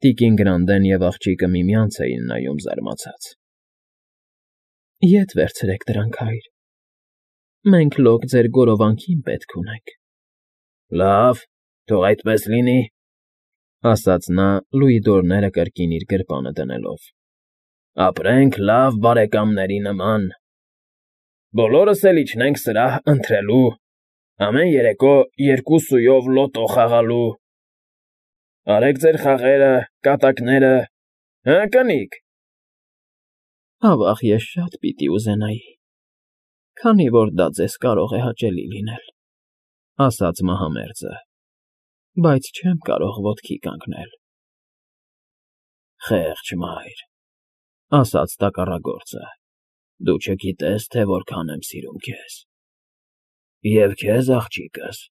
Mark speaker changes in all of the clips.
Speaker 1: Տիկին Գրանդեն և աղջիկը միմյանց էին նայում զարմացած։ ֊ Ետ վերցրեք դրանք, հայր, մենք լոկ ձեր գորովանքին պետք ունենք։ ֊ Լավ, թող այդպես լինի, ֊ ասաց նա՝ լուի դորները կրկին իր գրպանը դնելով։ ֊ Ապրենք լավ բարեկամների նման, բոլորս էլ իջնենք սրահ ընթրելու, ամեն երեկո 2 սույով լոտո խաղալու։ Արեք ձեր խաղերը, կատակները, հը՞, կնիկ։ ֊ Ավա՜ղ, ես շատ պիտի ուզենայի, քանի որ դա ձեզ կարող է հաճելի լինել, ֊ ասաց մահամերձը, ֊ բայց չեմ կարող ոտքի կանգնել։ ֊ Խեղճ մայր, ֊ ասաց տակառագործը, ֊ դու չգիտես, թե որքան եմ սիրում քեզ։ ֊ Եվ քեզ, աղջիկս…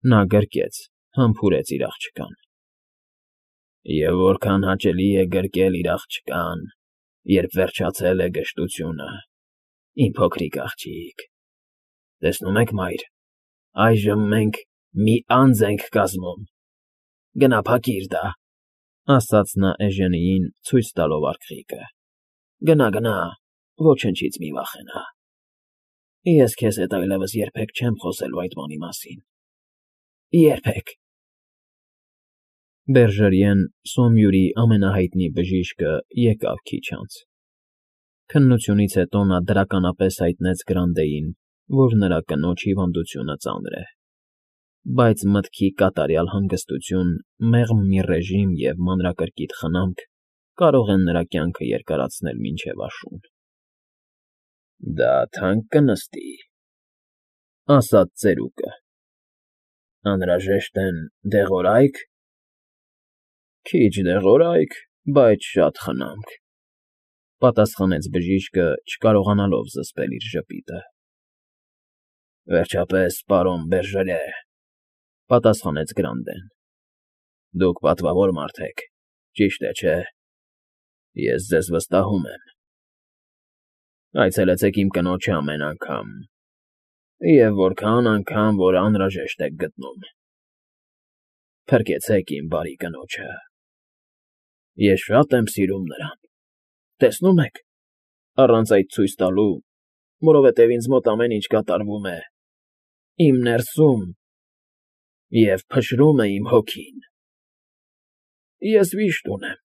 Speaker 1: Նա գրկեց, համբուրեց իր աղջկան։ ֊ Եվ որքան հաճելի է գրկել իր աղջկան, երբ վերջացել է գժտությունը, իմ փոքրիկ աղջիկ… Տեսնում եք, մայր, այժմ մենք մի անձ ենք կազմում… Գնա փակիր դա, ֊ ասաց նա Էժենիին, ցույց տալով արկղիկը։ ֊ Գնա, ոչնչից մի վախենա… Ես քեզ հետ այլևս երբեք չեմ խոսելու այդ բանի մասին… Երբեք… Բերժերիեն, Սոմյուրի ամենահայտնի բժիշկը, եկավ քիչ անց։ Քննությունից հետո նա դրականապես հայտնեց Գրանդեին, որ նրա կնոջ հիվանդությունը ծանր է, բայց մտքի կատարյալ հանգստություն, մեղմ մի ռեժիմ և մանրակրկիտ խնամք կարող են նրա կյանքը երկարացնել մինչև աշուն։ ֊ Դա թանկ կնստի, ֊ ասաց ծերուկը։ ֊ Անհրաժեշտ են դեղորայք։ ֊ Քիչ դեղորայք, բայց շատ խնամք, ֊ պատասխանեց բժիշկը, չկարողանալով զսպել իր ժպիտը։ ֊ Վերջապես, պարոն Բերժերե, ֊ պատասխանեց Գրանդեն, ֊ դուք պատվավոր մարդ եք, ճիշտ է, չէ՞։ Ես ձեզ վստահում եմ։ Այցելեցեք իմ կնոջը ամեն անգամ, և որքան անգամ, որ անհրաժեշտ եք գտնում։ Փրկեցեք իմ բարի կնոջը… Ես շատ եմ սիրում նրան, տեսնու՞մ եք, առանց այդ ցույց տալու, որովհետև ինձ մոտ ամեն ինչ կատարվում է իմ ներսում և փշրում է իմ հոգին… Ես վիշտ ունեմ…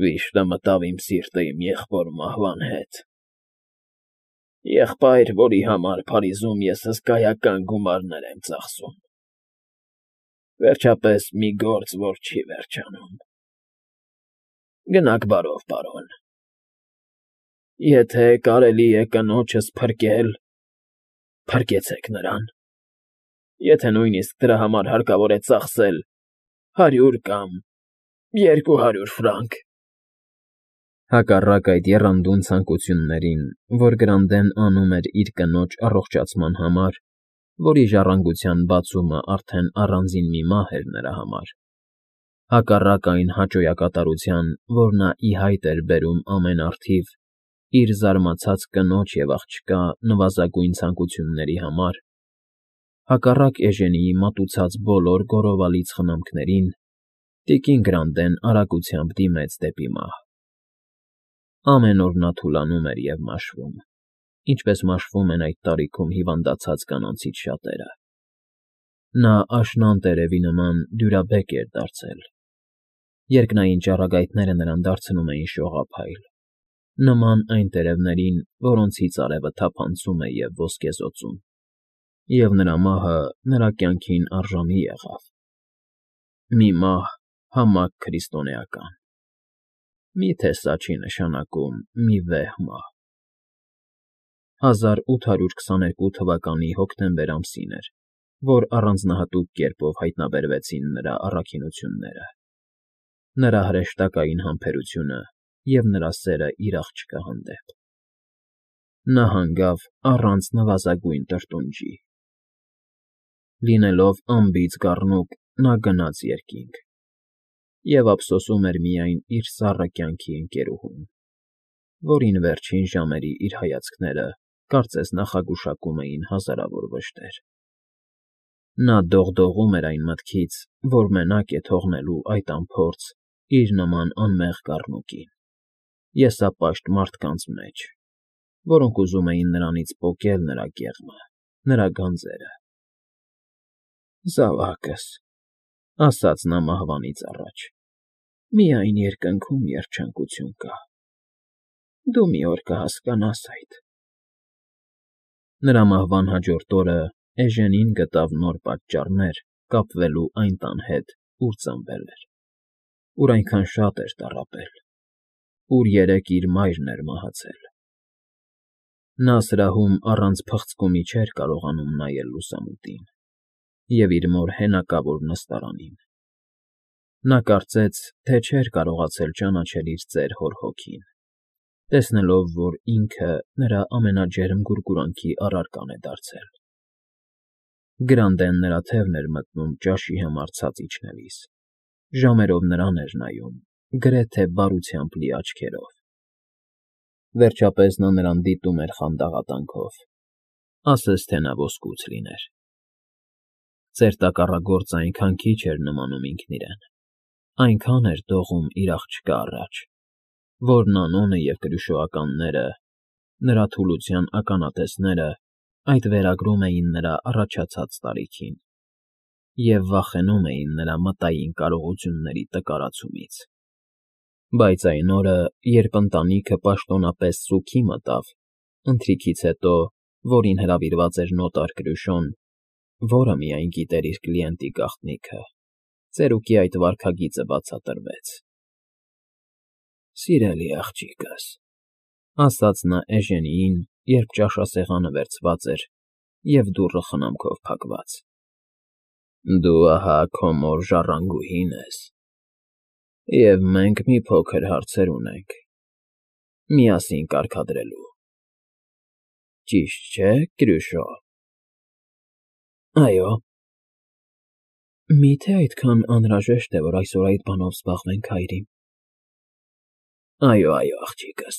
Speaker 1: Վիշտը մտավ իմ սիրտը իմ եղբոր մահվան հետ… Եղբայր, որի համար Փարիզում ես հսկայական գումարներ եմ ծախսում… Վերջապես, մի գործ, որ չի վերջանում… Գնաք բարով, պարոն… Եթե կարելի է կնոջս փրկել, փրկեցեք նրան… Եթե նույնիսկ դրա համար հարկավոր է ծախսել 100 կամ 200 ֆրանկ… Հակառակ այդ եռանդուն ցանկություններին, որ Գրանդեն անում էր իր կնոջ առողջացման համար, որի ժառանգության բացումը արդեն առանձին մի մահ էր նրա համար, հակառակ այն հաճոյակատարության, որ նա ի հայտ էր բերում ամեն առթիվ իր զարմացած կնոջ և աղջկա նվազագույն ցանկությունների համար, հակառակ Էժենիի մատուցած բոլոր գոռովալից խնամքներին, տիկին Գրանդեն արագությամբ դիմեց դեպի մահ։ Ամեն օր նա թուլանում էր և մաշվում, ինչպես մաշվում են այդ տարիքում հիվանդացած կանանցից շատերը։ Նա աշնան տերևի նման դյուրաբեկ էր դարձել։ Երկնային ճառագայթները նրան դարձնում էին շողափայլ, նման այն տերևներին, որոնցից արևը թափանցում է և ոսկեզօծում, և նրա մահը նրա կյանքին արժանի եղավ… Մի մահ համակ քրիստոնեական… Մի՞թե սա չի նշանակում մի վեհ մահ… 1822 թվականի հոկտեմբեր ամսին էր, որ առանձնահատուկ կերպով հայտնաբերվեցին նրա առաքինությունները, նրա հրեշտակային համբերությունը և նրա սերը իր աղջկա հանդեպ։ Նա հանգավ առանց նվազագույն տրտունջի։ Լինելով անբիծ գառնուկ, նա գնաց երկինք և ափսոսում էր միայն իր սառը կյանքի ընկերուհուն, որին վերջին ժամերի իր հայացքները կարծես նախագուշակում էին հազարավոր վշտեր։ Նա դողդողում էր այն մտքից, որ մենակ է թողնելու այդ անփորձ, իր նման անմեղ կառնուկին, եսապաշտ մարդկանց մեջ, որոնք ուզում էին նրանից պոկել նրա կեղմը, նրա գանձերը։ «Զավակս,֊ ասաց նա մահվանից առաջ,֊ միայն երկնքում երջանկություն կա, դու մի օր կհասկանաս այդ»։ Նրա մահվան հաջորդ օրը Էժենին գտավ նոր պատճառներ կապվելու այն տան հետ, ուր ծնվել էր, ուր այնքան շատ էր տառապել, ուր երեկ իր մայրն էր մահացել։ Նա սրահում առանց փղձկումի չէր կարողանում նայել լուսամուտին և իր մոր հենակավոր նստարանին։ Նա կարծեց, թե չէր կարողացել ճանաչել իր ծեր հոր հոգին, տեսնելով, որ ինքը նրա ամենաջերմ գուրգուրանքի առարկան է դարձել։ Գրանդեն նրա թևն էր մտնում ճաշի համար ցած իջնելիս, ժամերով նրան էր նայում, գրեթե բարությամբ լի աչքերով։ Վերջապես նա նրան դիտում էր խանդաղատանքով, ասես թե նա ոսկուց լիներ։ Ծեր տակառագործը այնքան քիչ էր նմանում ինքն իրեն, այնքան էր դողում իր աղջկա առաջ, որ Նանոնը և կրյուշոականները, նրա թուլության ականատեսները այդ վերագրում էին նրա առաջացած տարիքին և վախենում էին նրա մտային կարողությունների տկարացումից։ Բայց այն օրը, երբ ընտանիքը պաշտոնապես սուգի մտավ, ընթրիքից հետո, որին հրավիրված էր նոտար Կրյուշոն, որը միայն գիտեր իր կլիենտի գաղտնիքը, ծերուկի այդ վարքագիծը բացատրվեց։ «Սիրելի աղջիկս,֊ ասաց նա Էժենիին, երբ ճաշասեղանը վերցված էր և դուռը խնամքով փակված,֊ դու ահա քո մոր ժառանգուհին ես, և մենք մի փոքր հարցեր ունենք միասին կարգադրելու։ Ճիշտ չէ՞, Կրյուշո»։ ֊ Այո։ ֊ Մի՞թե այդքան անհրաժեշտ է, որ այսօր այդ բանով զբաղվենք, հայրիկ։ ֊ Այո, աղջիկս,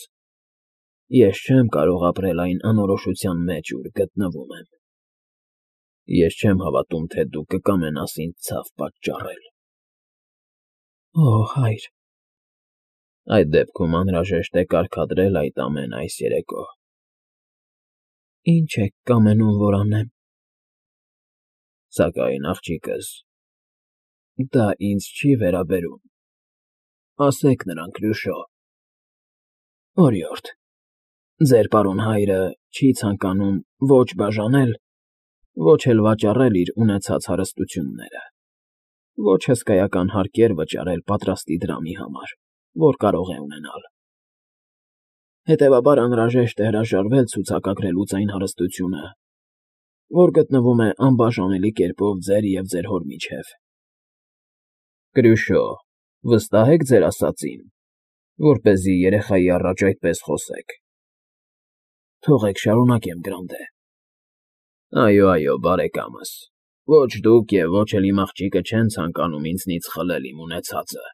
Speaker 1: ես չեմ կարող ապրել այն անորոշության մեջ, ուր գտնվում եմ։ Ես չեմ հավատում, թե դու կկամենաս ինձ ցավ պատճառել։ ֊ Օ, հայր… ֊ Այդ դեպքում անհրաժեշտ է կարգադրել այդ ամենը այս երեկո։ ֊ Ի՞նչ եք կամենում, որ անեմ։ ֊ Սակայն, աղջիկս, դա ինձ չի վերաբերում, ասեք նրան, Կրյուշո։ ֊ Օրիորդ, ձեր պարոն հայրը չի ցանկանում ոչ բաժանել, ոչ էլ վաճառել իր ունեցած հարստությունները, ոչ հսկայական հարկեր վճարել պատրաստի դրամի համար, որ կարող է ունենալ։ Հետևաբար անհրաժեշտ է հրաժարվել ցուցակագրելուց այն հարստությունը, որ գտնվում է անբաժանելի կերպով ձեր և ձեր հոր միջև։ ֊ Կրյուշո, վստահ եք ձեր ասածին, որպեսզի երեխայի առաջ այդպես խոսեք։ ֊ Թողեք շարունակեմ, Գրանտե։ ֊ Այո, բարեկամս, ոչ դուք և ոչ էլ իմ աղջիկը չեն ցանկանում ինձնից խլել իմ ունեցածը։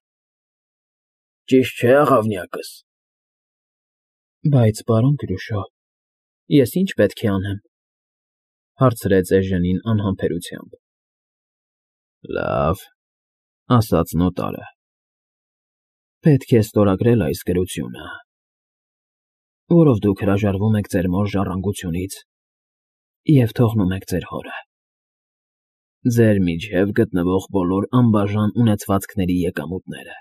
Speaker 1: Ճիշտ չէ՞, աղավնյակս։ ֊ Բայց, պարոն Կրյուշո, ես ի՞նչ պետք է անեմ,֊ հարցրեց Էժենին անհամբերությամբ։ ֊ Լավ,֊ ասաց նոտարը,֊ պետք է ստորագրել այս գրությունը, որով դուք հրաժարվում եք ձեր մոր ժառանգությունից և թողնում եք ձեր հորը, ձեր միջև գտնվող բոլոր անբաժան ունեցվածքների եկամուտները,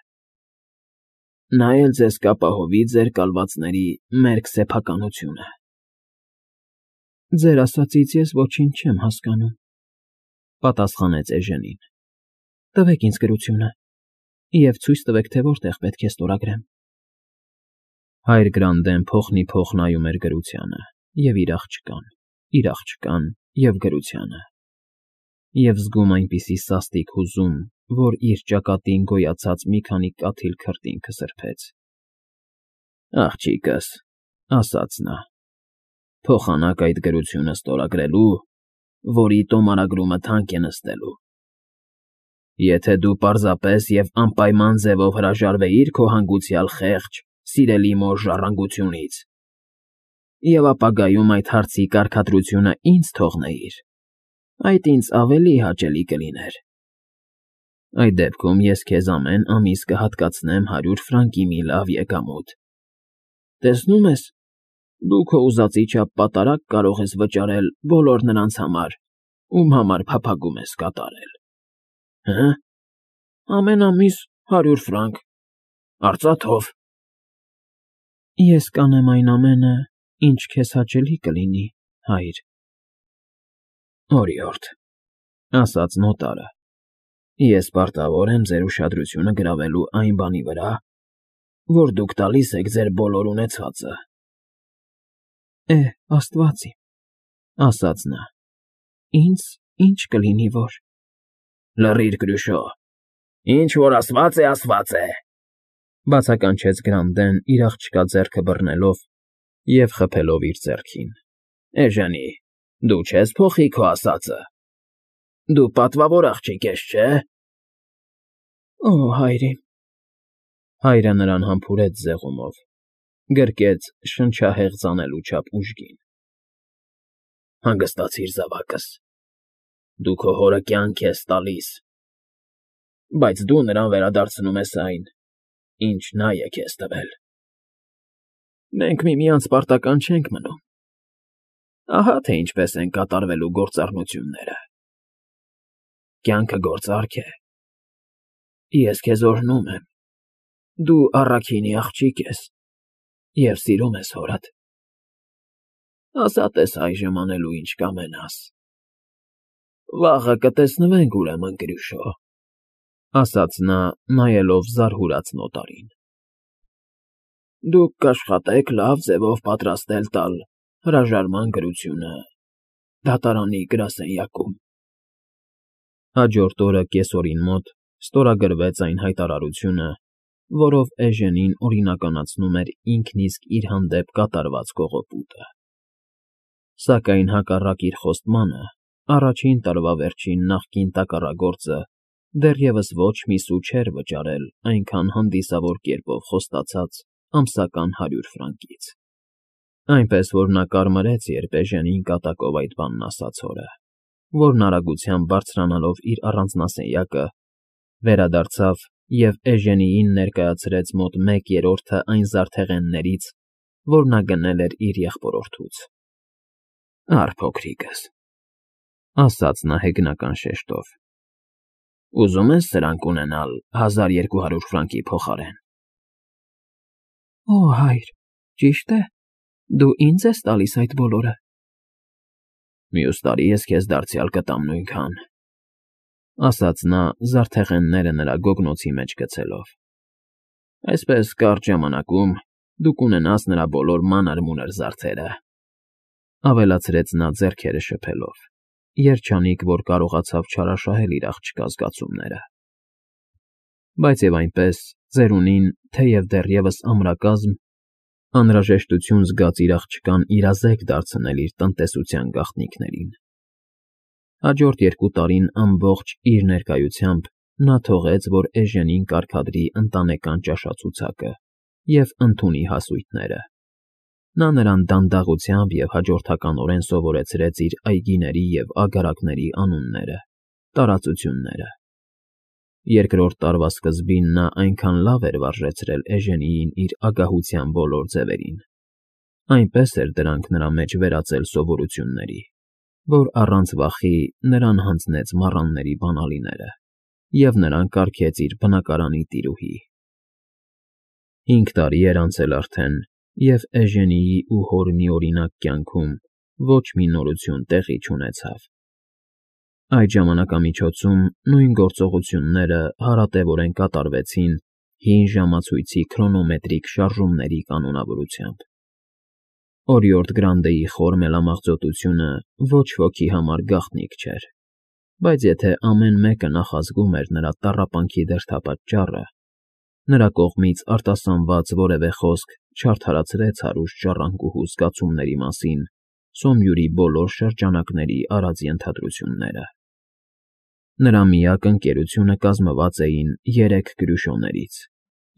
Speaker 1: նա էլ ձեզ կապահովի ձեր կալվածների մերկ սեփականությունը։ ֊ Ձեր ասածից ես ոչինչ չեմ հասկանում,֊ պատասխանեց Էժենին։ ֊ Տվեք ինձ գրությունը և ցույց տվեք, թե որտեղ պետք է ստորագրեմ։ Հայր Գրանդեն փոխնիփոխ նայում էր գրությանը և իր աղջկան և գրությանը, և զգում այնպիսի սաստիկ հուզում, որ իր ճակատին գոյացած մի քանի կաթիլ քրտինքը սրբեց։ ֊ Աղջիկս,֊ ասաց նա,֊ փոխանակ այդ գրությունը ստորագրելու, որի տոմարագրումը թանկ է նստելու։ Եթե դու պարզապես և անպայման ձևով հրաժարվեիր քո հանգուցյալ խեղճ, սիրելի մոր ժառանգությունից և ապագայում այդ հարցի կարգադրությունը ինձ թողնեիր, այդ ինձ ավելի հաճելի կլիներ։ Այդ դեպքում ես քեզ ամեն ամիս կհատկացնեմ 100 ֆրանկի մի լավ եկամուտ։ Տեսնում ես, դու քո ուզածի չափ պատարագ կարող ես վճարել բոլոր նրանց համար, ում համար փափագում ես կատարել։ Հը՞, ամեն ամիս 100 ֆրանկ, արծաթով։ Ես կանեմ այն ամենը, ինչ քեզ հաճելի կլինի, հայր։ Օրիորդ, ասաց նոտարը, ես պարտավոր եմ ձեր ուշադրությունը գրավելու այն բանի վրա, որ դուք տալիս եք ձեր բոլոր ունեցվածը։ Աստված իմ, ասաց նա, ինձ ինչ կլինի որ։ Լռիր, Կրուշո, ինչ որ ասված է, բացականչեց Գրանդեն իր աղջկա ձեռքը բռնելով և խփելով իր ձեռքին։ Էժանի, դու չես փոխի քո ասածը։ Դու պատվավոր աղջիկ ես, չէ՞։ Օ, հայր իմ… Հայրը նրան համբուրեց ձեղումով, գրկեց շնչահեղձ անելու չափ ուժգին։ Հանգստացիր, զավակս, դու քո հորը կյանք ես տալիս, բայց դու նրան վերադարձնում ես այն, ինչ նա է քեզ տվել։ Մենք միմյանց պարտական չենք մնում։ Ահա թե ինչպես են կատարվելու գործառնությունները։ Կյանքը գործարք է։ Ես քեզ օրհնում եմ։ Դու առաքինի աղջիկ ես և սիրում ես հորդ։ Ազատ ես այժմ անելու ինչ կամենաս։ Վաղը կտեսնվենք ուրեմն, Կրուշո, ասաց նա, նայելով զարհուրած նոտարին։ Դուք կաշխատեք լավ ձևով պատրաստել տալ հրաժարման գրությունը դատարանի գրասենյակում։ Հաջորդ օրը կեսօրին մոտ ստորագրվեց այն հայտարարությունը, որով Էժենին օրինականացնում էր ինքն իսկ իր հանդեպ կատարված կողոպուտը։ Սակայն հակառակ իր խոստմանը, առաջին տարվա վերջին նախկին տակառագործը դեռևս ոչ մի սու չէր վճարել այնքան հանդիսավոր կերպով խոստացած ամսական 100 ֆրանկից։ Այնպես որ նա կարմրեց, երբ Էժենին կատակով այդ բանն ասաց հորը, որն արագությամբ բարձրանալով իր առանձնասենյակը, վերադարձավ և Էժենիին ներկայացրեց մոտ 1/3 այն զարդեղեններից, որ նա գնել էր իր եղբորորդուց։ Առ փոքրիկս, ասաց նա հեգնական շեշտով, ուզում ես սրանք ունենալ 1200 ֆրանկի փոխարեն։ Օ, հայր, ճիշտ է, դու ինձ ես տալիս այդ բոլորը։ Մյուս տարի ես քեզ դարձյալ կտամ նույնքան, ասաց նա զարդեղենները նրա գոգնոցի մեջ գցելով։ Այսպես կարճ ժամանակում դու կունենաս նրա բոլոր մանր֊մունր զարդերը, ավելացրեց նա ձեռքերը շփելով, երջանիկ, որ կարողացավ չարաշահել իր աղջկա զգացումները։ Բայց և այնպես, ծերունին, թեև դեռևս ամրակազմ, անհրաժեշտություն զգաց իր աղջկան իրազեկ դարձնել իր տնտեսության գաղտնիքներին։ Հաջորդ 2 տարին ամբողջ իր ներկայությամբ նա թողեց, որ Էժենին կարգադրի ընտանեկան ճաշացուցակը և ընդունի հասույթները։ Նա նրան դանդաղությամբ և հաջորդականորեն սովորեցրեց իր այգիների և ագարակների անունները, տարածությունները։ Երկրորդ տարվա սկզբին նա այնքան լավ էր վարժեցրել Էժենիին իր ագահության բոլոր ձևերին, այնպես էր դրանք նրա մեջ վերածել սովորությունների, որ առանց վախի նրան հանձնեց մառանների բանալիները և նրան կարգեց իր բնակարանի տիրուհի։ 5 տարի էր անցել արդեն, և Էժենիի ու հոր միօրինակ կյանքում ոչ մի նորություն տեղի չունեցավ։ Այդ ժամանակամիջոցում նույն գործողությունները հարատևորեն կատարվեցին հին ժամացույցի քրոնոմետրիկ շարժումների կանոնավորությամբ։ Օրիորդ Գրանդեի խոր մելամաղձոտությունը ոչ ոքի համար գաղտնիք չէր, բայց եթե ամեն մեկը նախազգում էր նրա տառապանքի դրդապատճառը, նրա կողմից արտասանված որևէ խոսք չարդարացրեց հարուստ ժառանգուհու զգացումների մասին Սոմյուրի բոլոր շրջանակների արած ենթադրությունները։ Նրա միակ ընկերությունը կազմված էին 3 Կրյուշոներից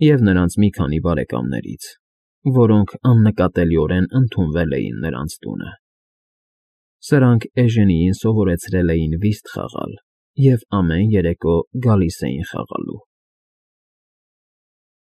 Speaker 1: և նրանց մի քանի բարեկամներից, որոնք աննկատելիորեն ընդունվել էին նրանց տունը։ Սրանք Էժենիին սովորեցրել էին վիստ խաղալ և ամեն երեկո գալիս էին խաղալու։